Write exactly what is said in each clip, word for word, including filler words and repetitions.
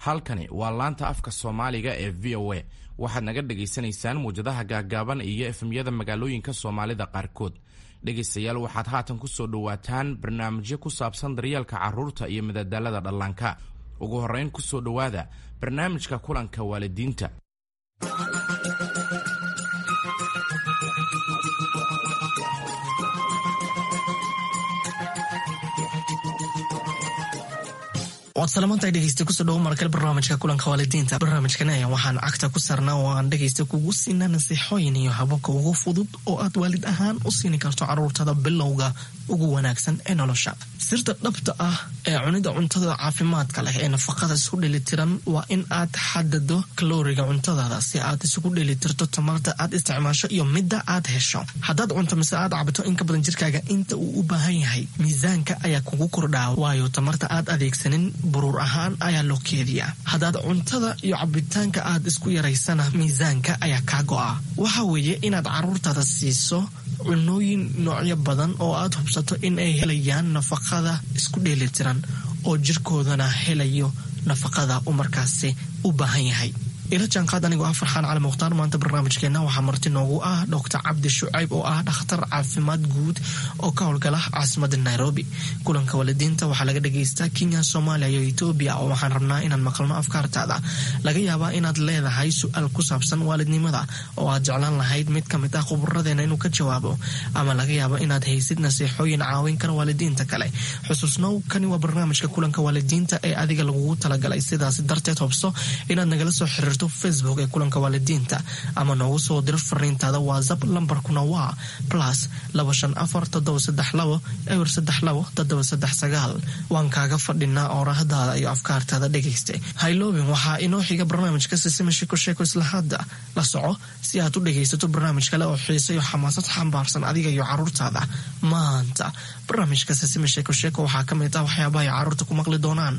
Halkani waa laanta afka Soomaaliga ee V O A. Waxaad naga dhagaysanaysaan muwjadaha gaaggaaban iyo F M-yada magaalooyinka Soomaalida qaarkood. Dhegaystayaal, waxaad haatan ku soo dhowaataan barnaamijyo ku saabsan daryeelka carruurta iyo madadaalada dhallaanka. Ugu horrayn, ku soo dhowaada barnaamijka kulanka waalidiinta. Waad salamantahay, dhegeysta. Kusoo dhawo markale barnaamijka kulanka waalidiinta. Barnaamijkan ayaa waxaan cagta ku saarnaa oo aan dhegeysta kugu siinaa nasiixooyin iyo hababka ugu fudud oo aad waalid ahaan u siini karto caruurtada bilowga ugu wanaagsan ee nolosha. Sirta dhabta ah ee cunida cuntada caafimaadka leh ee nafaqada isku dheelitiran waa in aad xadado kalooriga cuntadaada si aad isugu dheelitirto tamarta aad isticmaasho iyo midda aad hesho. Haddaad cunto mise aad cabto in ka badan jirkaaga inta uu u baahan yahay, miisaanka ayaa kugu kordhaa, waayo tamarta aad adeegsanin buruur ahaan ayaa loo keediyaa. Haddaad cuntada iyo cabitaanka aad isku yaraysana, miisaanka ayaa kaa go'a. Waxa weeye inaad caruurtaada siiso cunooyin noocyo badan oo aad hubsato in ay helayaan nafaqada isku dheelitiran oo jirkoodana helayo nafaqada uu markaasi u baahan yahay. Ila jaanqaad anigoo ah Farxaan Cali Mukhtaar. Maanta barnaamijkeena waxaa marti noogu ah Doctor Cabdi Shucayb oo ah dhakhtar caafimaad guud oo ka howlgala caasimada Nairobi. Kulanka waalidiinta waxaa laga dhagaystaa Kenya, Soomaaliya iyo Etoobiya, oo waxaan rabnaa inaan maqalno afkaartaada. Laga yaabaa inaad leedahay su-aal ku saabsan waalidnimada oo aad jeclaan lahayd mid ka mid ah khuburadeena inuu ka jawaabo, ama laga yaabo inaad haysid nasiixooyin caawin kara waalidiinta kale. Xusuusnow, kani waa barnaamijka kulanka waalidiinta ee adiga lagugu talagalay. Sidaas darteed, hubso inaad nagala soo xiriirto Facebook ee kulanka waalidiinta ama noogu soo diro fariintaada WhatsApp. Lambarkuna waa plus laba shan afar toddoba saddex labo eber saddex labo toddoba saddex sagaal. Waan kaaga fadhinaa oorahadaada iyo afkaartaada, dhegayste. Hayloobin, waxaa inoo xiga barnaamijka Sisima Sheko Sheeko. Isla hadda la soco si aad u dhegaysato barnaamij kale oo xiise iyo xamaasad xambaarsan adiga iyo caruurtaada. Maanta barnaamijka Sisima Sheeko Sheeko waxaa ka mid ah waxyaabaha ay caruurta ku maqli doonaan.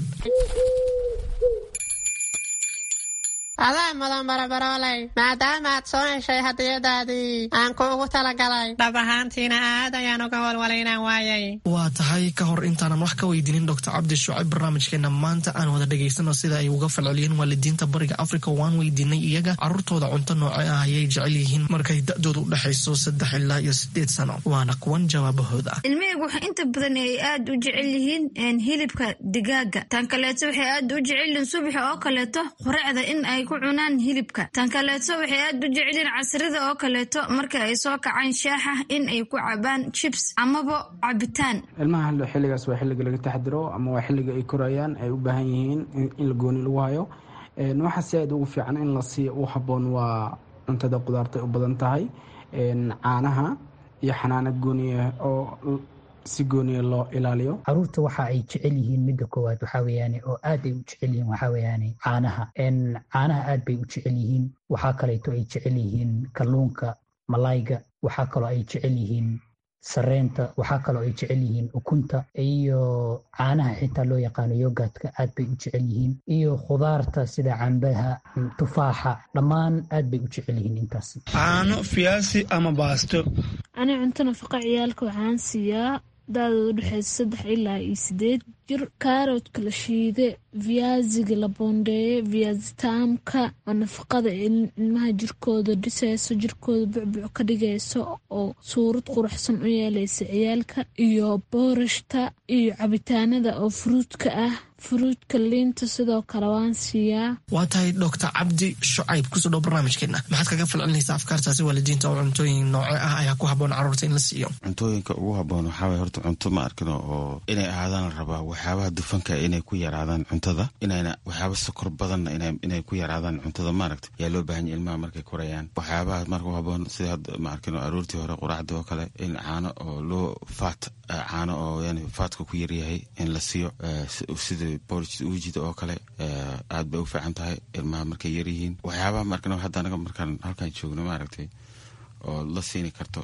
Adaa mudan, barabarooley, maadaama aad soo heshay hadiyadaadii aan kuugu talagalay. Dhab ahaantiina aad ayaan uga walwalay inaan waayay. Waa tahay. Ka hor intaanan wax ka weydiinin Doctor Cabdi Shucayb barnaamijkeena maanta, aan wada dhegaysano sida ay uga falceliyeen waalidiinta Bariga Africa. Waan weydiinay iyaga caruurtooda cunto nooce ah ayay jecel yihiin markay da-doodu u dhexayso saddex ilaa iyo sideed sano. Waana kuwan jawaabahooda. Ilmahaygu waxay inta badan ay aad u jecel yihiin hilibka digaaga. Tan kaleeto, waxay aad u jecel yihiin subaxa oo kaleeto quracda in ay ku cunaan hilibka. Tan kaleeto, waxay aad u jecel yihiin casrida oo kaleeto marka ay soo kacaan shaaxa in ay ku cabaan chips amaba cabitaan. Ilmaha xilligaas waa xilliga laga taxdiro ama waa xilliga ay korayaan, ay u baahan yihiin in la gooni lagu hayo. Waxa si aad ugu fiican in la siiyo u habboon waa cuntada qudaarta u badan tahay, caanaha iyo xanaano gooniya oo si gooniya loo ilaaliyo. Caruurta waxa ay jecel yihiin, midda koowaad waxaa weeyaane oo aad ay u jecel yihiin, waxaa weeyaane caanaha. Caanaha aad bay u jecel yihiin. Waxaa kaleeto ay jecel yihiin kalluunka, malayga. Waxaa kaloo ay jecel yihiin sareenta. Waxaa kaloo ay jecel yihiin ukunta iyo caanaha xitaa loo yaqaano yogurtka, aad bay u jecel yihiin, iyo khudaarta sida cambaha, tufaaxa, dhammaan aad bay u jecel yihiin intaas. Caano, fiyaasi ama baasto. Ani cunto nafaqa ciyaalka waxaan siiyaa da-dooda udhexeysa saddex ilaa iyo sideed jir kaaroodka la shiide, viyaasiga la boondeeye, viyaasitaamka oo nafaqada ilmaha jirkooda dhiseyso, jirkooda bucbuc ka dhigayso oo suurad quruxsan u yeeleysa ciyaalka, iyo boorashta iyo cabitaanada oo fruitka ah, fruitka, liinta sidoo kale waan siiyaa. Waa tahay. Doctor Cabdi Shucayb, kusoo dhow barnaamijkeena. Maxaad kaga falcelinaysaa afkaartaasi waalidiinta oo cuntooyin nooce ah ayaa ku haboon carruurta in la siiyo? Cuntooyinka ugu haboon waxaa waye horta cunto, ma arkino, oo inay ahaadaan la rabaa waxyaabaha dufanka inay ku yaraadaan cuntada, inayna waxyaaba sokor badanna inay ku yaraadaan cuntada, maaragta, yaa loo baahan yahay ilmaha markay korayaan. Waxyaabaha marka u haboon sida hadda, ma arkino, aroortii hore quraacdii oo kale in caano oo loo fat, caano oo yani fatka ku yaryahay in la siiyo, sida porridge uujida oo kale, aad bay u fiican tahay ilmaha markay yaryihiin. Waxyaabaha, ma arkino, hadda anaga markaan halkaan joogno, maaragtay, oo la siini karto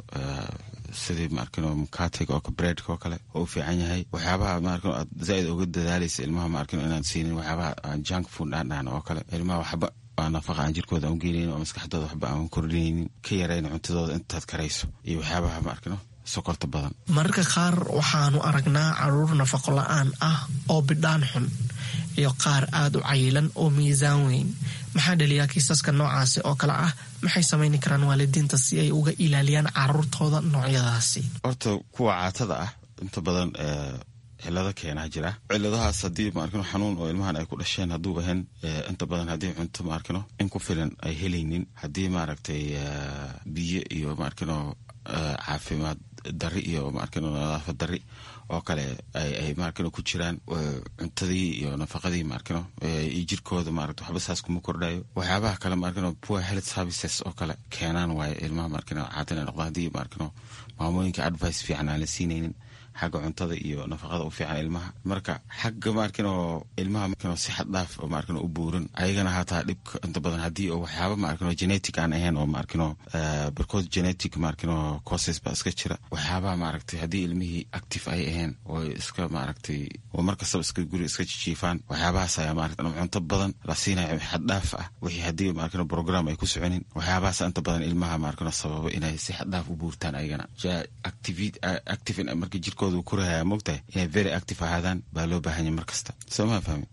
sidii, ma arkino, mukatiga oo breadka oo kale oo u fiican yahay. Waxyaabaha, ma arkino, aad zaaid uga dadaalaysa ilmaha, ma arkino, inaan siinin waxyaabaha aan junk food aan dhahno oo kale. Ilmaha waxba aan nafaqa aan jirkooda aan ugeynaynin oo maskaxdooda waxba aan kordhinaynin, ka yarayn cuntadooda intaad karayso, iyo waxyaabaha, ma arkino, sokorta badan. Mararka qaar waxaanu aragnaa caruur nafaqo la-aan ah oo bidhaan xun. iyo qaar aada u cayilan oo miisaan weyn. Maxaa dhaliyaa kiisaska noocaasi oo kale ah? Maxay samayni karaan waalidiinta si ay uga ilaaliyaan caruurtooda noocyadaasi? Horta kuwa caatada ah inta badan cilado keenaa jira. Ciladahaas haddii maarkino xanuun oo ilmahan ay ku dhasheen hadduu ahayn, inta badan haddii cunto maarkino in ku filan ay helaynin, haddii maaragtay biyo iyo maarkino caafimaad dari iyo maarkino nadaafad dari oo kale ay maarkino ku jiraan, cuntadii iyo nafaqadii maarkino iyo jirkooda maaragta waxba saas kuma kordhayo. Waxyaabaha kale maarkino poor health services oo kale keenaan waaye ilmaha maarkino caata inay noqdaan, haddii maarkino maamooyinka advice fiican aan la siinaynin xagga cuntada iyo nafaqada u fiican ilmaha. Marka xagga maarkino ilmaha maarkino si xad dhaaf oo maarkino u buuran ayagana hataa dhibka inta badan haddii oo waxyaaba maarkino genetic aan ahayn oo maarkino barkood genetic maarkino causes baa iska jira. Waxyaabaha maaragtay haddii ilmihii active ay ahayn oo iska maaragtay oo markastaba iska guri iska jijiifaan, waxyaabahaas ayaa maaragtay cunto badan la siinayo xad dhaaf ah, wixii haddii maarkino program ay ku soconin, waxyaabahaas inta badan ilmaha maarkino sababa inay si xad dhaaf u buurtaan ayagana. Active active marka jirkooda uu korahaya moogtahay inay very active ahaadaan baa loo baahanya mar kasta, soo ma fahmi?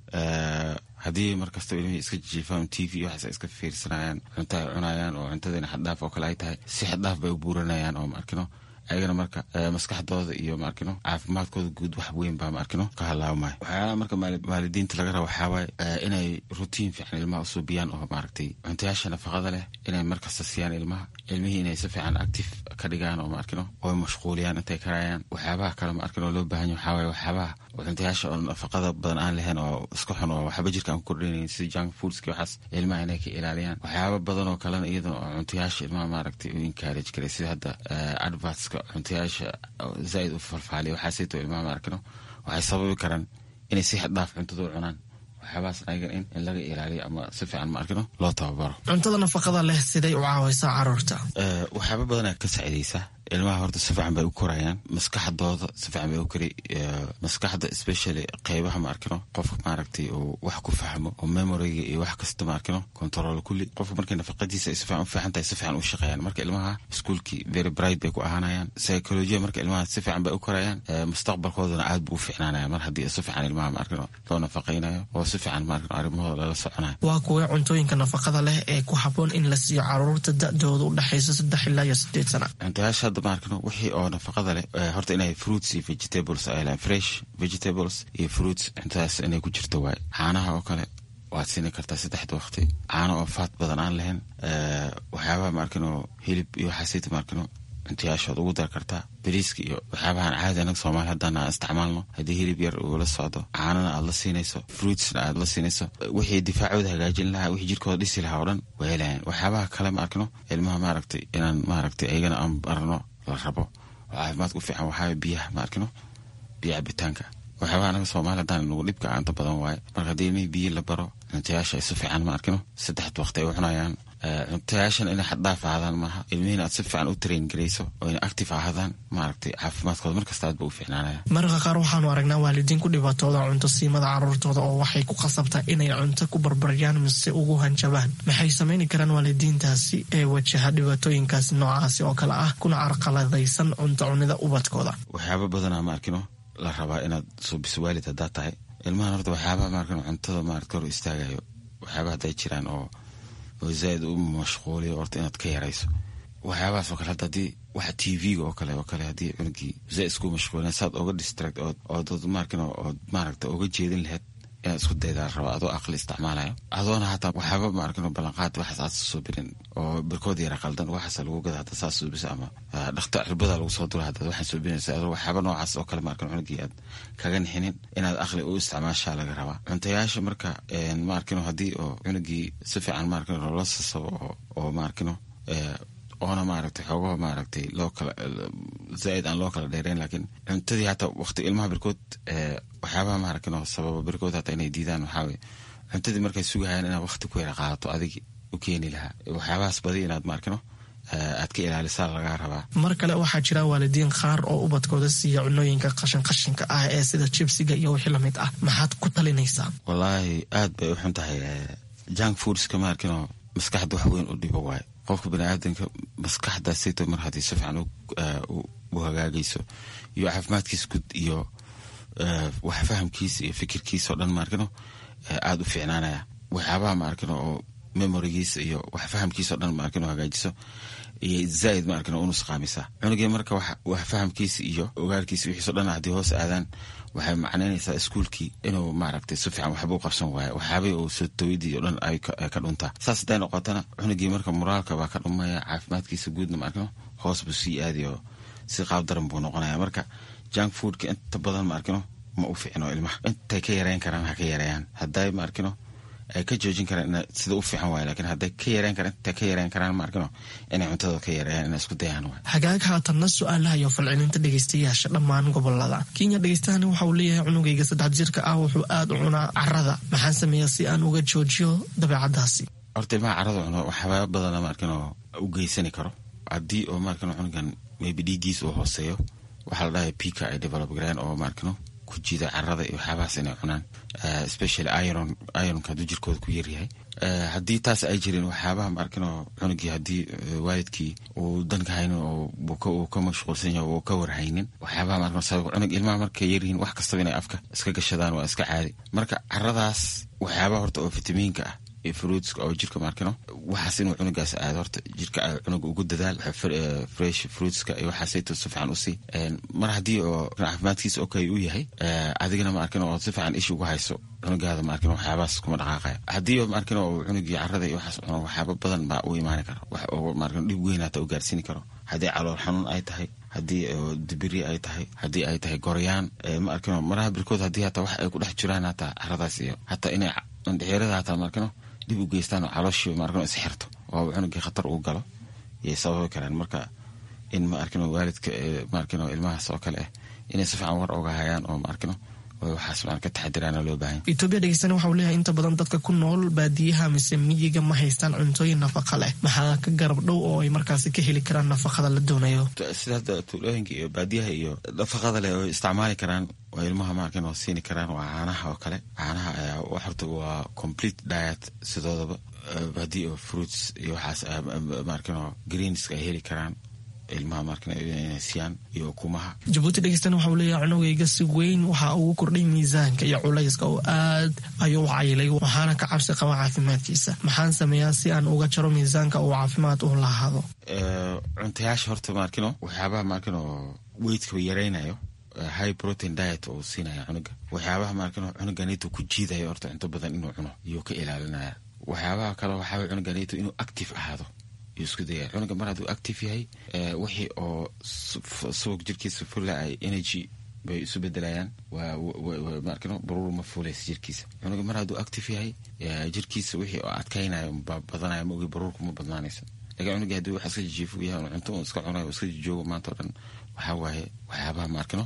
Haddii mar kastaba ilmihii iska jijiifaan, T V waxaas ay iska fiirsanayaan, cunto ay cunayaan oo cuntadiina xaddhaaf oo kale ay tahay, si xaddhaaf bay u buuranayaan oo maarkino ayagana marka maskaxdooda iyo maarkino caafimaadkooda guud wax weyn baa maarkino ka halaabmaya. Waxyaalaha marka waalidiinta laga raba waxaa waaye inay routine fiican ilmaha usuubiyaan oo maaragtay cuntayaasha nafaqada leh inay markasta siiyaan ilmaha, ilmihii inay si fiican active ka dhigaan oo maarkino oo mashquuliyaan intay karayaan. Waxyaabaha kale maarkino loo baahan yahay waxaa waaye waxyaabaha cuntayaasha oo nafaqada badan aan lahayn oo iska xun oo waxba jirka aan ku kordhinayn sida junk foodski, waxaas ilmaha inay ka ilaaliyaan. Waxyaaba badan oo kalena iyadana oo cuntayaasha ilmaha maaragtay u encourage karay, sida hadda advertska cuntayaasha zaaid u falfaaliya, waxaasayto ilmaha maarkino waxay sababi karaan inay si xad dhaaf cuntada u cunaan. Waxyaabahaas ayaga in in laga ilaaliyo ama si fiican maarkino loo tababaro. Cuntada nafaqada leh siday u caawaysaa caruurta? Waxyaaba badanaa ka saacidaysa ilmaha. Horta si fiican bay u korayaan, maskaxdooda si fiican bay u kori, maskaxda especially qeybaha maarkino qofka maaragtay uu wax ku fahmo oo memoryga iyo wax kasta maarkino control kulli. Qofka markay nafaqadiisa ay si fiican u fiican tahay, si fiican u shaqeeyaan. Marka ilmaha iskuulkii very bright bay ku ahaanayaan, psychology marka ilmaha si fiican bay u korayaan, mustaqbalkoodana aad buu u fiicnaanaya mar haddii si fiican ilmaha maarkino loo nafaqaynayo oo si fiican maarkino arrimahooda lala soconayo. Waa kuwee cuntooyinka nafaqada leh ee ku habboon in la siiyo caruurta da'dooda u dhexaysa saddex ilaa iyo sideed sana? Cuntayaasha hadda maarkino wixii oo nafaqada leh horta inay fruits iyo vegetables ay lehan, fresh vegetables iyo fruits cuntadaas inay ku jirto waaye. Caanaha oo kale waad siini kartaa saddexda waqti, caano oo faat badan aan lahayn. Waxyaabaha maarkino hilib iyo waxaasita maarkino cuntayaashood ugu dar kartaa, bariiska iyo waxyaabahan caadi anaga soomaali haddaan aan isticmaalno. Haddii hilib yar uu la socdo, caanana aad la siinayso, fruitsna aad la siinayso, wixii difaacooda hagaajin lahaa, wixii jirkooda dhisi lahaa oo dhan waa helayaan. Waxyaabaha kale ma arkino ilmaha maaragtay inaan maaragtay ayagana aan barno la rabo oo caafimaadka u fiican waxaa biyaha ma arkino, biyo cabitaanka. Waxyaabaha anaga soomaali haddaan nagu dhibka inta badan waaye. Marka haddii ilmihii biyo la baro, cuntayaasha ay si fiican ma arkino saddexda waqti ay u cunayaan, cuntayaashan inay xaddhaaf ahaadaan maaha, ilmihiina aad si fiican u train garayso oo inay active ahaadaan, maaragtay caafimaadkooda markasta aad ba u fiicnaanaya. Mararka qaar waxaanu aragnaa waalidiin ku dhibaatooda cunto siimada caruurtooda oo waxay ku khasabtaa inay cunto ku barbaryaan mise ugu hanjabaan. Maxay samayni karaan waalidiintaasi ee wajaha dhibaatooyinkaas noocaasi oo kale ah kuna carqaladaysan cunto cunida ubadkooda? Waxyaaba badanaa ma arkino la rabaa inaad suubiso waalid haddaad tahay ilmahan. Horta waxyaabaha maarkino cuntada maaragta hor istaagayo, waxyaabaha hadday jiraan oo oo zaaid u mashquuliyo, horta inaad ka yarayso waxyaabahaas oo kale. Hadda haddii waxa T V-ga oo kale oo kale haddii cunugii zaaid isku mashquulin, saad oga distract ood ood maarkino ood maaragta oga jeedin lahayd inaad isku daydaa raba, adoo aqli isticmaalayo, adoona hataa waxyaaba maarkino ballanqaad waxaas aad soo birin oo barkood yara qaldan waxaas lagu gada hadda saas suubisa ama dhakta cirbada lagu soo dura hadda waxaan suubinaysa, adoo waxyaaba noocaas oo kale maarkino cunugii aad kaga nixinin, inaad aqli u isticmaashaa laga rabaa cuntayaasha. Marka maarkino haddii oo cunugii si fiican maarkino loola sasabo oo oo maarkino oona maaragtay xoogaha maaragtay loo kala zaaid aan loo kala dheereyn, laakiin cuntadii hataa waqti ilmaha barkood waxyaabaha maaragtay sababa barkood hataa inay diidaan waxaa weye cuntadii markay sugahayaan inaad waqti ku yara qaadato adigi u keeni lahaa. Waxyaabahaas badi inaad maarkino aad ka ilaalisaa lagaa rabaa. Mar kale waxaa jira waalidiin qaar oo ubadkooda siiya cunooyinka qashin qashinka ah ee sida jibsiga iyo wixii lamid ah. Maxaad ku talinaysaa? Wallaahi aad bay u xun tahay junk foodska maarkino, maskaxda wax weyn u dhibo waaye. Qofka baniaadanka maskaxdaasayto mar haddii si fiican u hagaagayso iyo caafimaadkiisa guud iyo wax fahamkiisa iyo fikirkiisa oo dhan maarkino aada u fiicnaanaya. Waxyaabaha ma arkin oo memorigiisa iyo wax fahamkiisa o dhan ma arkin oo hagaajiso iyo zaaid ma arkin oo unusqaamisa cunugii. Marka wax fahamkiisa iyo ogaalkiisa wixiiso dhan haddii hoos aadaan, waxay macnaynaysaa iskuulkii inuu maaragtay si fiican waxba u qabsan waayo, waxyaabihii uu soo tawidii o dhan ay ka dhuntaa. Saas hadday noqotana, cunugii marka moraalka baa ka dhumaya, caafimaadkiisa guudna ma arkino hoos buu sii aadayo, si qaab daran buu noqonaya. Marka junk foodka inta badan ma arkino ma u fiicno ilmaha. Intay ka yareyn karaan ha ka yareeyaan, hadday ma arkino ay ka joojin karaan sida u fiican waay, lakiin hadday ka yareyn karaan, intay ka yareyn karaan ma arkino inay cuntada ka yareeyaan, inay isku dayaan waay. Hagaag, haatanna su-aalaha iyo falcelinta dhegeystayaasha dhammaan gobolada Kenya. Dhegeystahani waxa uu leeyahay, cunugayga saddex jirka ah wuxuu aada u cunaa carada, maxaan sameeyaa si aan uga joojiyo dabeecadaasi? Horta ilmaha carada cuno waxyaaba badana ma arkino u geysani karo. Haddii oo ma arkino cunugan maybe dhiiggiis uu hooseeyo, waxaa la dhahay pica ay develop gareen oo ma arkino ku jiida carada iyo waxyaabahaas inay cunaan, especially iron, ironka hadduu jirkooda ku yaryahay. Haddii taas ay jirin, waxyaabaha ma arkino cunugii haddii waalidkii uu danka haynin oo uu ka mashquulsan yahay, uu ka warhaynin waxyaabaha ma arkino sabab cunug. Ilmaha markay yaryihiin wax kastaba inay afka iska gashadaan waa iska caadi. Marka caradaas waxyaabaha horta oo fitamiinka ah iyo fruitska oo jirka maarkino waxaas inuu cunugaas aado, horta jirka cunuga ugu dadaal fresh fruitska iyo waxaasayto si fiican usii. Mar haddii oo caafimaadkiisa okay uu yahay, adigana ma arkin oo si fiican ishi ugu hayso cunugaada, ma arkin waxyaabahaas kuma dhaqaaqaya. Haddii ma arkin oo cunugii carada iyo waxaas cuno, waxyaaba badan baa u imaani kara, wax oo ma arkin dhib weyn hata u gaarsiini karo. Haddii calool xanuun ay tahay, haddii dibiri ay tahay, haddii ay tahay goryaan, ma arkino maraha birkood haddii hataa wax ay ku dhex jiraan hataa caradaas iyo hataa inay andhexeerada hataa ma arkino dib u geystaan oo calooshii ma arkino isxirto oo cunugii khatar uu galo yay sababi karaan. Marka in ma arkino waalidka ma arkino ilmahaas oo kale ah inay si fiican war oga hayaan oo ma arkino waxaas maan ka taxadiraana loo baahan. Etoobiya dhegeystana waxa uu leeyahay, inta badan dadka ku nool baadiyaha mise miyiga ma haystaan cuntooyin nafaqa leh, maxaa ka garab dhow oo ay markaasi ka heli karaan nafaqada la doonayo? Sida hadda tuulooyinka iyo baadiyaha iyo nafaqada leh oo isticmaali karaan oo ilmaha maarkan oo siini karaan waa caanaha oo kale. Caanaha ayaa horta waa complete diet sidoodaba. Haddii oo fruits iyo waxaas maarkan oo greenska ay heli karaan ilmaha markan inay siiyaan iyo ukumaha. Jabuuti dhegeystana waxa uu leeyahay, cunugayga si weyn waxa ugu kordhay miisaanka iyo culayska oo aad ayuu u cayilay, waxaana ka cabsi qaba caafimaadkiisa, maxaan sameeyaa si aan uga jaro miisaanka uu caafimaad u lahaado? Cuntayaasha horta maarkino waxyaabaha maarkino weightka yaraynayo, high protein diet uu siinaya cunuga. Waxyaabaha maarkino cunuganito ku jiidayo horta cunto badan inuu cuno iyuu ka ilaalinaya. Waxyaabaha kale waxaa cunuganito inuu active ahaado isku daya. Cunuga mar hadduu active yahay, wixii oo subag jirkiisa fula ay energy bay isu bedelayaan, maarkino baruur ma fuulaysa jirkiisa. Cunuga mar hadduu active yahay, jirkiisa wixii oo adkaynayo baa badanaya, ma ogi baruurku ma badnaanayso. Lakin cunuga haddii wax iska jijiifo yahay, cunto uu iska cunayo, iska jijoogo maanta o dhan, waxaa waaye waxyaabaha maarkino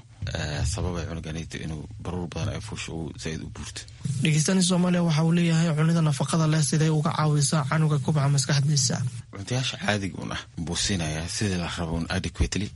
sababay cunuganito inuu baruur badan ay fuusho, uu zaaid u buurto. Dhegeystani Soomaaliya waxa uu leeyahay, cunida nafaqada leh siday uga caawisaa canuga kubca maskaxdiisa? Cuntayaasha caadiga un ah buu siinayaa sidii la rabo un adequately,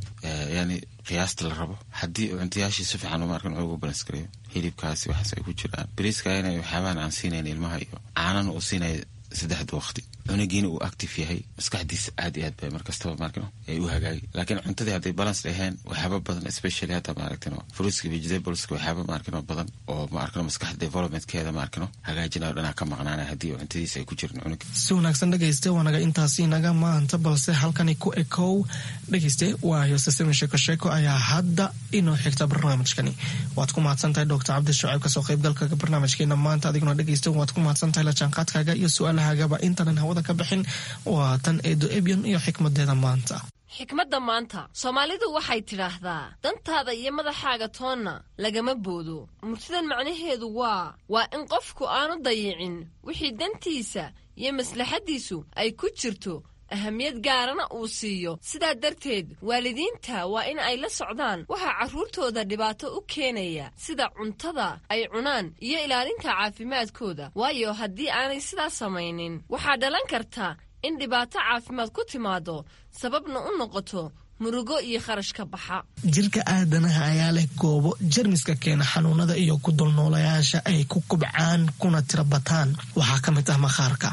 yani qiyaasta la rabo. Haddii cuntayaashii si fiican maarkan ugu balance gareeyo, hilibkaasi waxaas ay ku jiraan, bariiska inay waxyaabahan aan siinayn ilmaha iyo caanana uu siinaya saddexda waqti, cunugiina uu active yahay, maskaxdiisa aad iyo aad bay markastaba maarkino ay u hagaagi. Laakiin cuntadii hadday balance dhaheen, waxyaaba badan, especially hadda maaragtino fruitska, vegetables, waxyaaba maarkino badan oo maarkino maskaxda developmentkeeda maarkino hagaajinayo dhanaa ka maqnaanaya haddii cuntadiisa ay ku jirin cunuga. Si wanaagsan dhegayste, waa naga intaasi naga maanta, balse halkani ku ekow dhegayste. Waa heesasami sheeko sheeko ayaa hadda inoo xigta barnaamijkani. Waad ku mahadsan tahay Doctor Cabdi Shucayb kasoo qaybgalka barnaamijkeena maanta. Adiguna dhegayste waad ku mahadsan tahay la jaanqaadkaaga iyo su-aalahagaba. Intaanan hawada ka bixin, waa tan Eedo Ebyon iyo xikmadeeda maanta. Xikmadda maanta, Soomaalidu waxay tidhaahdaa, dantaada iyo madaxaaga toonna lagama boodo. Murtidan macnaheedu waa waa in qofku aanu dayicin wixii dantiisa iyo maslaxaddiisu ay ku jirto, ahamiyad gaarana uu siiyo. Sidaa darteed waalidiinta waa in ay la socdaan waxaa carruurtooda dhibaato u keenaya, sida cuntada ay cunaan iyo ilaalinta caafimaadkooda, waayo haddii aanay sidaa samaynin waxaa dhalan karta in dhibaato caafimaad ku timaado, sababna u noqoto murugo iyo kharash ka baxa. Jirka aadanaha ayaa leh goobo jermiska keena xanuunada iyo ku dulnoolayaasha ay ku kubcaan kuna tira bataan. Waxaa ka mid ah maqaarka.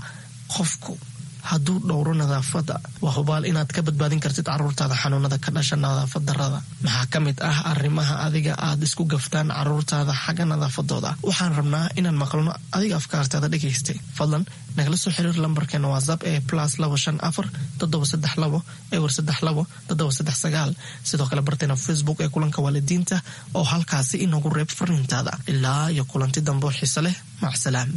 Qofku hadduu dhowro nadaafadda, waa hubaal inaad ka badbaadin kartid caruurtaada xanuunada ka dhasha nadaafad darrada. Maxaa ka mid ah arrimaha adiga aad isku gaftaan caruurtaada xagga nadaafadooda? Waxaan rabnaa inaan maqalno adiga afkaartaada dhegaystay. Fadlan nagala soo xiriir lambarkeena WhatsApp ee plus labo shan afar toddoba saddex labo ewer saddex labo toddoba saddex sagaal. Sidoo kale barteena Facebook ee kulanka waalidiinta oo halkaasi inoogu reeb fariintaada. Ilaa iyo kulanti dambe oo xiise leh, macsalaam.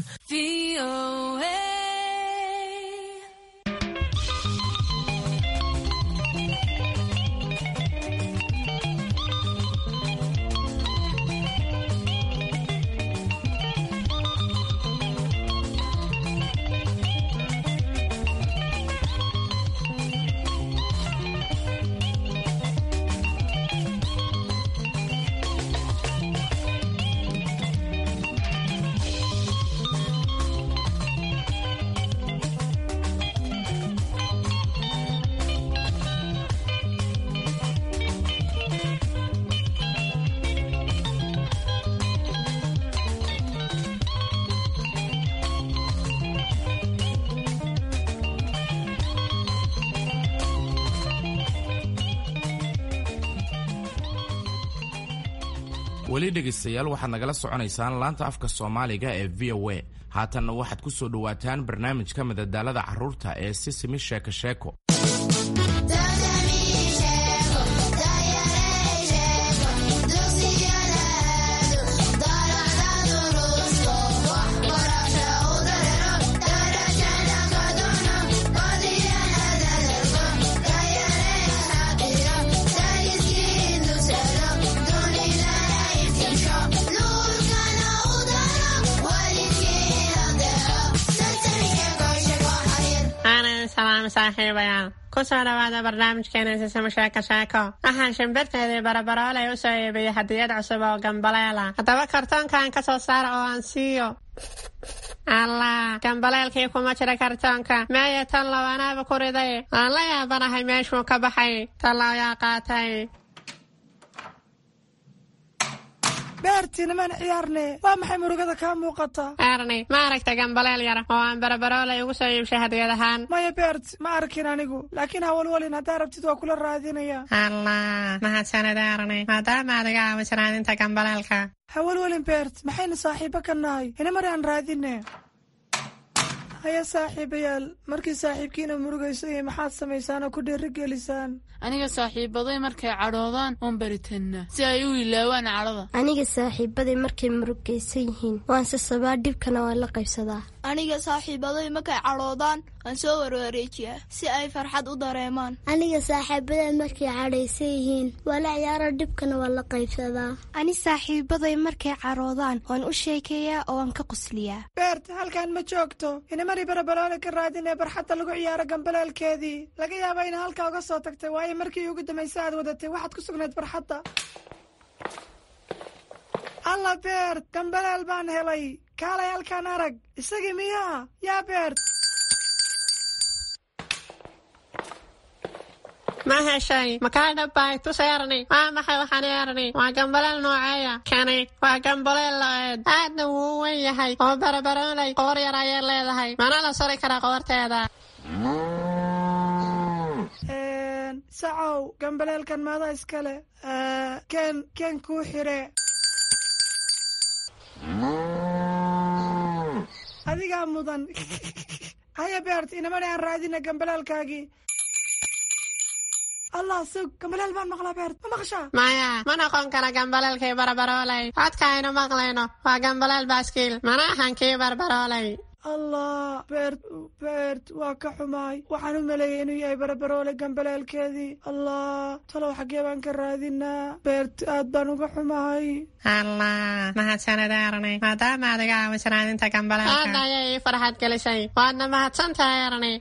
Weli dhegaystayaal, waxaad nagala soconaysaan laanta afka Soomaaliga ee V O A. Haatanna waxaad ku soo dhowaataan barnaamijka madadaalada carruurta ee Sisimi Sheeko Sheeko. Saaxiibayaal, kusoo dhawaada barnaamijkeena Sisimo Sheeko Sheeko. Waxaan shimbirteedii Barabarooley u soo iibiyey hadiyad cusub oo gambaleela. Haddaba kartoonkan ka soo saara oo aan siiyo. Allah, gambaleelkii kuma jira kartoonka. Meeye tan low anaaba ku riday. Waan la yaabanahay meeshuu ka baxay. Tallow yaa qaatay? Beerti, nimaan ciyaarne, waa maxay murugada kaa muuqata? Erni, ma aragta gambaleel yar oo aan Barabarooley ugu soo iibshay hadiyad ahaan? Maya Beert, ma arkin anigu, laakiin hawalwalin, haddaa rabtid waa kula raadinaya. Allah, mahadsanid Erni, maadaama aad iga caawis raadinta gambaleelka. Hawalwalin Beert, maxaynu saaxiibo ka nahay? Inamar aan raadine. Haya saaxiibayaal, markii saaxiibkiina murugayso iyo maxaad samaysaan oo ku dhiirigelisaan? Aniga saaxiibaday markay cadhoodaan oon baritannaa si ay u ilaawaan cadhada. Aniga saaxiibaday markay murugaysan yihiin waan sasabaa, dhibkana waan la qaybsadaa. Aniga saaxiibaday markay cadhoodaan waan soo warwareejiyaa si ay farxad u dareemaan. Aniga saaxiibaday markay cadhaysan yihiin waa la ciyaaro, dhibkana waan la qaybsadaa. Ani saaxiibaday markay cadhoodaan waan u sheekeeyaa oo waan ka qosliyaa. Beert, halkan ma joogto. Inamari Barabaroole ka raadin ee barxadda lagu ciyaaro gambaleelkeedii. Laga yaabaa ina halkaa uga soo tagtay, waayo markii ugu dambaysa aad wadatay waxaad ku sugnayd barxadda. Alla Beert, gambaleel baan helay. Kaalay halkaan arag. Isagii miyaa? Yaa Beert? Ma heshay? Makaa dhabbay? Tus Erni. Waa maxay waxaan Erni? Waa gambaleel nooceeya? Kani waa gambaleel lo'eed, aadna wuu u weyn yahay oo Barabarooley qoor yar ayay leedahay, mana la suri karaa qoorteeda. Sacow, gambaleelkan maada iskale? Ken ken kuu xire. Adigaa mudan. Haya Beert, inamani aan raadina gambaleelkaagii. Allah, sug, gambaleel baan maqlaa. Beert, ma maqashaa? Maya, ma noqon kara gambaleelkii Barabarooley. Codka aynu maqlayno waa gambaleel baaskiil, mana ahan kii Barbarooley. Allah Beert, Beert, waa ka xumaay. Waxaan u maleeyay inuu yahay Barabaroole gambaleelkeedii. Allah, talow xaggee baan ka raadinaa? Beert, aad baan uga xumahay. Allah, mahadsanid Erni, maadaama aad iga caawis raadinta gambaleelka. Aad ayay ii farxad gelisay, waadna mahadsantahay Erni.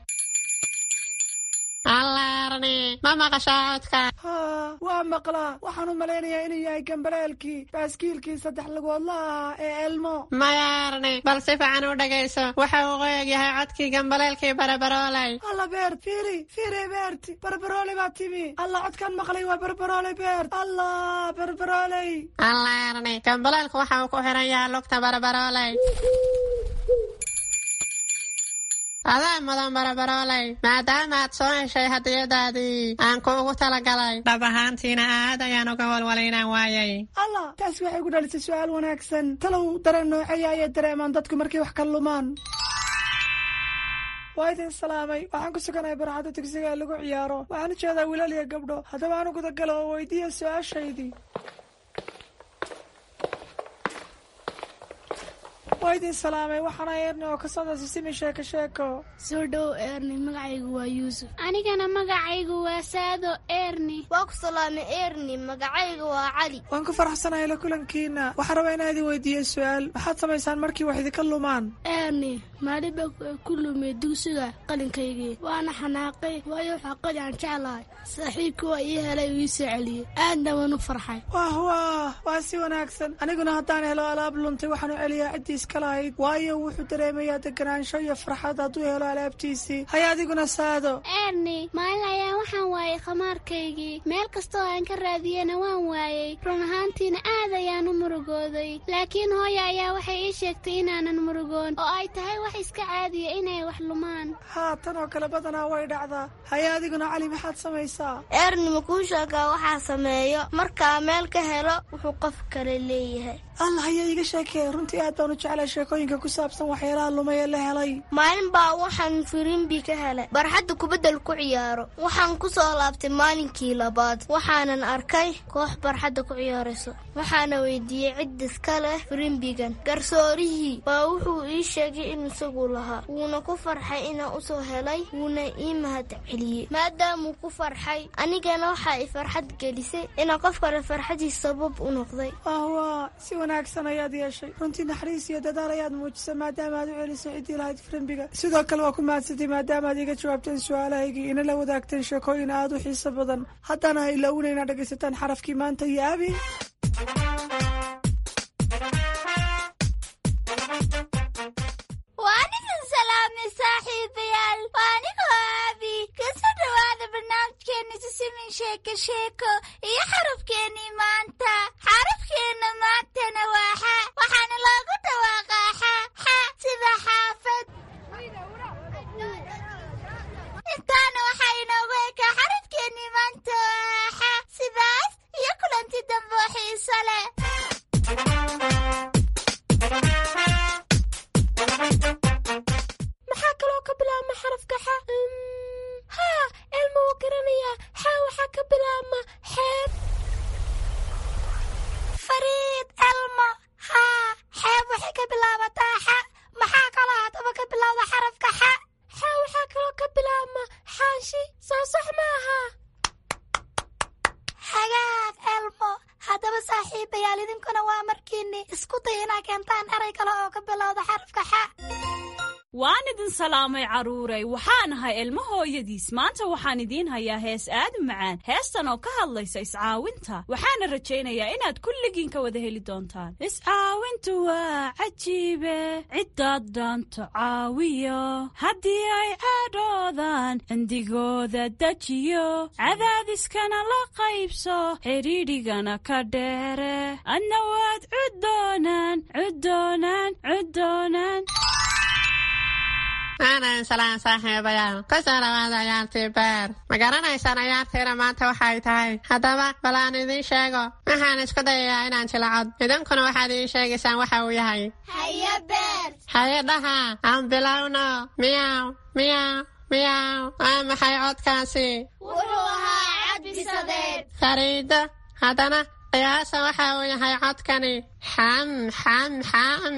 Allah Erni, ma maqashaa codka? Haa, waa maqlaa. Waxaan u malaynayaa inuu yahay gambaleelkii baaskiilkii saddex lugoodla ahaa ee Elmo. Maya Erni, bal si fiican u dhegayso. Waxa uu qoyag yahay codkii gambaleelkii Barabarooley. Alla Beert, fiiri fiiri Beert, Barabarooley baa timi. Alla, codkan maqlay waa Barabarooley Beert. Allah, Barabarooley. Allah Erni, gambaleelku waxa uu ku xiran yahay lugta Barabarooley. Adaa mudan barabarooley, maadaama aad soo heshay hadiyadaadii aan kuugu talagalay. Dhab ahaantiina aad ayaan uga walwalay inaan waayay. Allah, taasi waxay ku dhalisay su'aal wanaagsan. Talow dareen nooceeya ayay dareemaan dadku markay wax ka lumaan? Waa idin salaamay. Waxaan ku suganahay barxadda dugsiga ee lagu ciyaaro. Waxaan u jeedaa wiilal iyo gabdho. Haddaba aan u gudagalo oo weydiiya su-aashaydii. Waa idin salaamay. Waxaana Eerni oo ka socda Sisimi Sheeko Sheeko. Soo dhow Eerni, magacaygu waa Yuusuf. Anigana magacaygu waa Saado Eerni. Waa ku salaamay Eerni, magacaygu waa Cali. Waan ku faraxsanahay la kulankiina. Waxaan rabaa inaan idin weydiiyo su-aal. Maxaad samaysaan markii wax idinka lumaan? Eerni, maalin baa ku lumay dugsiga qalinkaygii, waana xanaaqay, waayo waxaa qali aan jeclahay. Saaxiibkii waa ii helay, uu ii soo celiyey, aadna waan u farxay. Wah wah, waa si wanaagsan. Aniguna haddaan helo alaab luntay, waxaan u celiyaa ciddii iska lahayd, waayo wuxuu dareemayaa deganaansho iyo farxad hadduu helo alaabtiisii. Haya adiguna Saado. Eerni, maalin ayaa waxaan waayay khamaarkaygii. Meel kastoo aan ka raadiyena waan waayey. Run ahaantiina aad ayaan u murugooday, laakiin hooya ayaa waxay ii sheegtay inaanan murugoon oo ay tahay wax iska caadiya inay wax lumaan. Haa, tan oo kale badanaa way dhacdaa. Haya adiguna Cali, maxaad samaysaa? Eerni, ma kuu sheegaa waxaa sameeyo markaa meel ka helo wuxuu qof kale leeyahay? Allah, ayaa iiga sheekee. Runtii aad baan u jeclay sheekooyinka ku saabsan waxyaalaha lumay ee la helay. Maalin baa waxaan firimbi ka helay barxadda kubaddal ku ciyaaro. Waxaan ku soo laabtay maalinkii labaad, waxaanan arkay koox barxadda ku ciyaarayso. Waxaana weydiiyey cid iska leh firimbigan. Garsoorihii baa wuxuu ii sheegay in isagu lahaa, wuuna ku farxay inaan usoo helay, wuuna ii mahad celiyey. Maadaamuu ku farxay, anigana waxaa i farxad gelisay inaan qof kale farxadiis sabab u noqday. Wah, si wanaagsan ayaad yeeshay. Runtii naxariis iyo dadaal ayaad muujisay maadaama aad u celisay ciddii lahayd firimbiga. Sidoo kale waa ku mahadsantay maadaama aad iga jawaabteen su-aalahaygii, ina la wadaagteen sheekooyin aad u xiiso badan. Haddana ha ilaawina inaad dhegaysataan xarafkii maanta iyo Abi. Waan idin salaamay saaxiibayaal. Waa anigoo Aabi. Kasoo dhawaada barnaamijkeena Sisimin Sheeko Sheeko iyo xarafkeenii maanta. Xarafkeenna maantana waa xa, waxaana loogu dhawaaqaa xa xa sida xaafad. Intaana waxaa inoogu ekaa xarafkeenii maanta oo xa. Sidaas iyo kulanti dambe oo xiiso leh. Maxaa kaloo ka bilaabma xarafka xa? Haa, Elma wuu garanayaa. Xa waxaa ka bilaabma xeeb. Fariid, Elmo. Haa, xeeb waxay ka bilaabataa xa. Maxaa kaloo haddaba ka bilowda xarafka xa? Xa waxaa kaloo ka bilaabma xaashi. Soo sax maaha? Hagaag Elmo. Haddaba saaxiibayaal, idinkuna waa markiinni isku day inaa keentaan eray kale oo ka bilowda xarafka xa. Waan idin salaamay carruuray. Waxaan ahay Ilmo hooyadiis. Maanta waxaan idiin hayaa hees aad u macaan, heestan oo ka hadlaysa iscaawinta. Waxaana rajaynayaa inaad kulligiin ka wada heli doontaan. Iscaawintu waa cajiibe, ciddaad dhaanto caawiyo, haddii ay cadhoodaan cindigooda dejiyo, cadaadiskana la qaybso, xidhiidhigana ka dheere, adna waad cuddoonaan cuddoonaan cuddoonaan. Aanan salaan saaxiibayaal. Kusoo dhawaada ciyaartii beer. Ma garanaysaan ciyaartiina maanta waxay tahay? Haddaba bal aan idiin sheego. Waxaan isku dayayaa inaan jilacod, idinkuna waxaad ii sheegaysaan waxa uu yahay. Haye Beer. Haye dhaha, aan bilowno. Miyaw miyaw miyaw. Waa maxay codkaasi? Wuxuu ahaa cad bisadeed. Fariido, haddana qiyaasa waxa uu yahay codkani. Xam xam xam,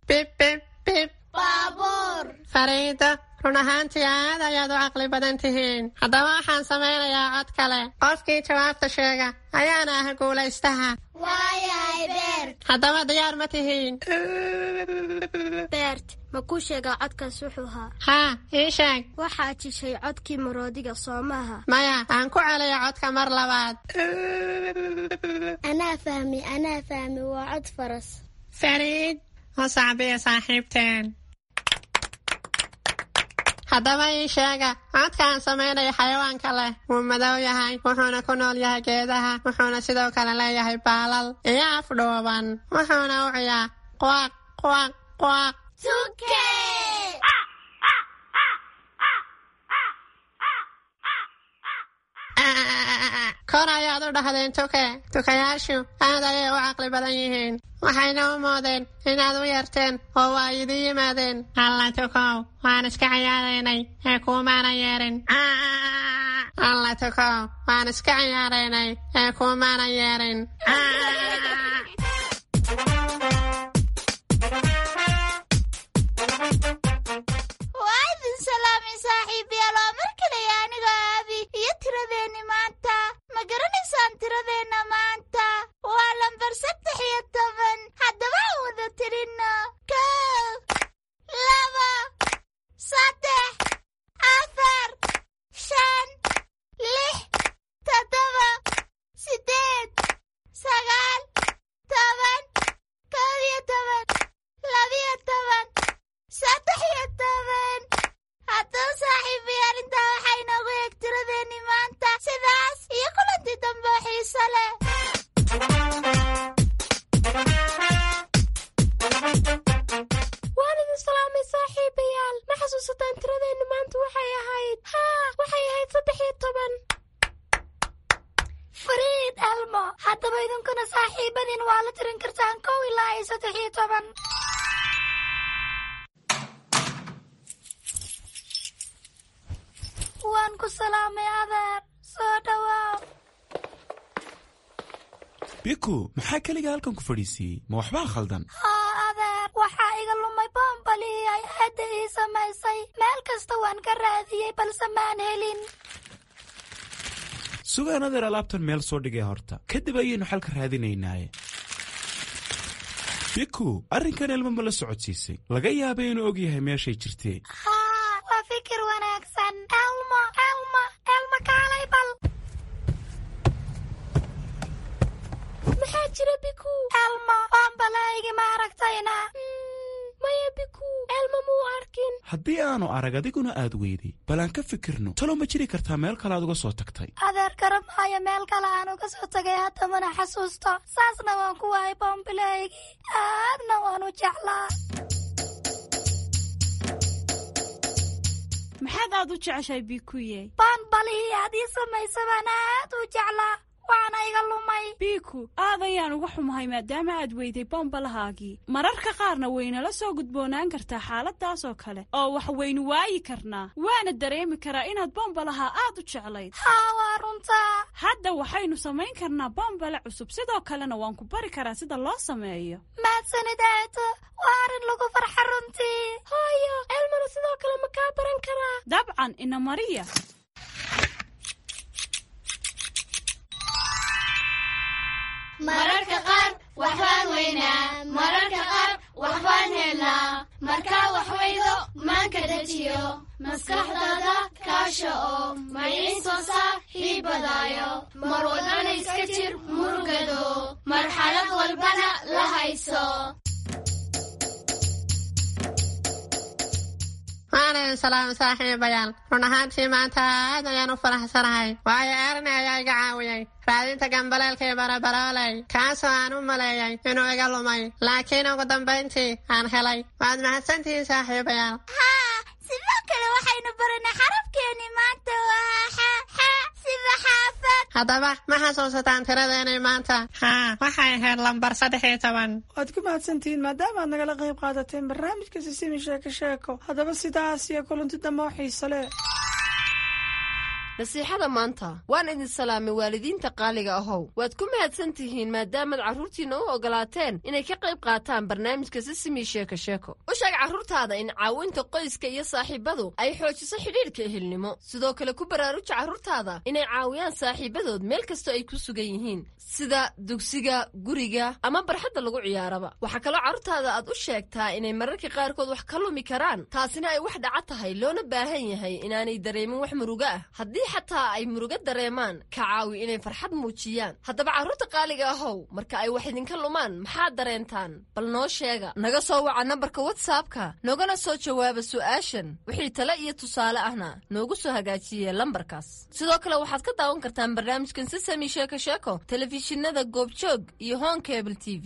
bib bib bib. Baabuur. Fariido, run ahaantii aad ayaad u caqli badan tihiin. Haddaba waxaan samaynayaa cod kale. Qofkii jawaabta sheega ayaana ah guulaystaha. Waayahay Beert. Haddaba diyaar ma tihiin? Beert, ma kuu sheegaa codkaas wuxuu ahaa? Haa, ii sheeg. Waxaa jishay codkii maroodiga, soo maaha? Maya, aan ku celiyo codka mar labaad. Anaa fahmi, anaa fahmi, waa cod faras. Fariid, u sacbiya saaxiibteen. Haddaba ii sheega codkaan samaynaya xayawaanka leh. Wuu madow yahay, wuxuuna ku nool yahay geedaha, wuxuuna sidoo kale leeyahay baalal iyo af dhuuban, wuxuuna u ciyaa quaq quaq quaq. Tuke. Kor ayaad u dhahdeen tuke. Tukayaashu aad ayay u caqli badan yihiin, waxayna u moodeen inaad u yeerteen oo waa idin yimaadeen. Alla tukow, waan iska ciyaaraynay ee kuumaana yeerin. Alla tukow, waan iska ciyaaraynay ee kuumaana yeerin. Waa idin salaamay saaxiibayaal, waa mar kaleya aniga Aabi iyo tiradeenni maanta. Ma garanaysaan tiradeenna maanta? Waa lambar saddex iyo toban. Haddaba aan wada tirinno: kow, laba, saddex, afar, shan, lix, toddoba, siddeed, sagaal, toban, kow iyo toban, labiyo toban, saddex iyo toban. Haddaba saaxiibayaal, intaa waxaa inoogu eeg tiradeenni maanta. Sidaas iyo kulantii dambe oo xiiso leh. Waan idin salaamay saaxiibayaal. Ma xasuusataan tiradeennu maanta waxay ahayd? Haa, waxay ahayd saddex iyo toban. Fariid Elmo, haddaba idinkuna saaxiibadiin waa la tirin kartaan kow ilaa iyo saddex iyo toban. Waan ku salaamay adeer, soo dhawaaw. Biku, maxaa keliga halkan ku fadhiisiiyey? Ma waxbaa khaldan? Haa adeer, waxaa iga lumay boombalihii ay aadda ii samaysay. Meel kasta waan ka raadiyey balse maan helin. Sugaan adeer, alaabtan meel soo dhigay horta, kadib ayaynu xalka raadinaynaaye. Biku, arrinkan Elmo ma la socodsiisay? Laga yaabay inuu og yahay meeshay jirtee. Haa, waa fikir wanaagsan. Elmo, Elmo, Elmo, kaalay bal. Maxaa jira Biku? Elmo, boombalahaygi ma aragtayna? Maya Biku, Elmo muu arkin. Haddii aanu arag adiguna aad weyday, bal aan ka fikirno. Talo ma jiri kartaa meel kale aad uga soo tagtay? Adeer, garamaayo meel kale aan uga soo tagay, hadda mana xasuusto. Saasna waan ku waayay boombilahaygii, aadna waan u jeclaa. Maxaad aad u jeceshahay Bikuye? Boonbalihii aad ii samaysa baan aad u jeclaa, waana iga lumay. Biku, aad ayaan uga xumahay maadaama aad weyday bombalahaagii. Mararka qaarna waynala soo gudboonaan kartaa xaaladaas oo kale oo wax waynu waayi karnaa, waana dareemi karaa inaad bombalaha aad u jeclayd. Haa, waa runtaa. Hadda waxaynu samayn karnaa bombale cusub, sidoo kalena waan ku bari karaa sida loo sameeyo. Mahadsanid aato, waa arrin lagu farxa runtii. Hooyo, Elmona sidoo kale ma kaa baran karaa? Dabcan, ina mariya. Mararka qaar waxbaan weynaa, mararka qaar waxbaan helnaa. Markaa wax weydo maanka dejiyo, maskaxdaada kaasha oo maciin soo saaxiibadaayo. Mar walbana iska jir murugado, marxalad walbana la hayso. Waan idin salaamay saaxiibayaal. Run ahaantii maanta aad ayaan u faraxsanahay, waayo Erni ayaa iga caawiyey raadinta gambaleelkii barabarooley, kaasoo aan u maleeyay inuu iga lumay, laakiin ugu dambayntii aan helay. Waad mahadsantihiin saaxiibayaal. Haa, sidoo kale waxaynu baranay xarafkeenni maanta waa xa, xa sida xaafad. Haddaba ma xasuusataan tiradeenay maanta? Haa, waxay ahayd lambar saddex iyo toban. Waad ku mahadsantihiin maadaama aad nagala qayb qaadateen barnaamijka Sisimi Sheeko Sheeko. Haddaba sidaas iyo kulanti dambe oo xiiso leh. Nasiixada maanta. Waan idin salaamay waalidiinta qaaliga ahow. Waad ku mahadsan tihiin maadaamaad carruurtiinna u ogolaateen inay ka qayb qaataan barnaamijka Sisimi Sheeko Sheeko. U sheeg carruurtaada in caawinta qoyska iyo saaxiibadu ay xoojiso xidhiidhka ehelnimo. Sidoo kale ku baraaruja carruurtaada inay caawiyaan saaxiibadood meel kastoo ay ku sugan yihiin, sida dugsiga, guriga ama barxadda lagu ciyaaraba. Waxaa kaloo carruurtaada aad u sheegtaa inay mararka qaarkood wax ka lumi karaan, taasina ay wax dhaca tahay, loona baahan yahay inaanay dareemin wax murugo ah. Haddii xataa ay murugo dareemaan, ka caawi inay farxad muujiyaan. Haddaba carruurta qaaliga ahow, marka ay wax idinka lumaan maxaad dareentaan? Bal noo sheega. Naga soo waca nambarka WhatsAppka, noogana soo jawaaba su'aashan. Wixii tale iyo tusaale ahna noogu soo hagaajiye lambarkaas. Sidoo kale waxaad ka daawan kartaan barnaamijkan Sisami Sheeko Sheeko telefishinada Goobjoog iyo Hon Cable T V.